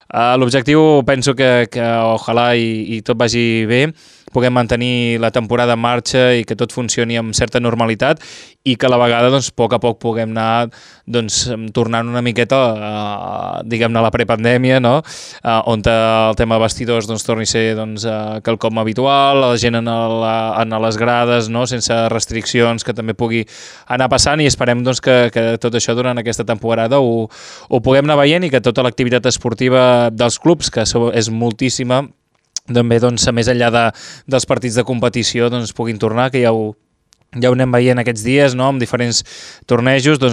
L'objectiu penso que ojalà i tot vagi bé, puguem mantenir la temporada en marxa i que tot funcioni amb certa normalitat i que a la vegada, doncs, a poc puguem anar tornant una miqueta diguem-ne a la prepandèmia, no? On el tema vestidors torni a ser quelcom habitual, la gent a les grades, no? Sense restriccions, que també pugui anar passant, i esperem que tot això durant aquesta temporada ho puguem anar veient i que tota l'activitat esportiva dels clubs, que és moltíssima, també més enllà dels partits de competició puguin tornar, que ja ho anem veient aquests dies, no? Amb diferents tornejos,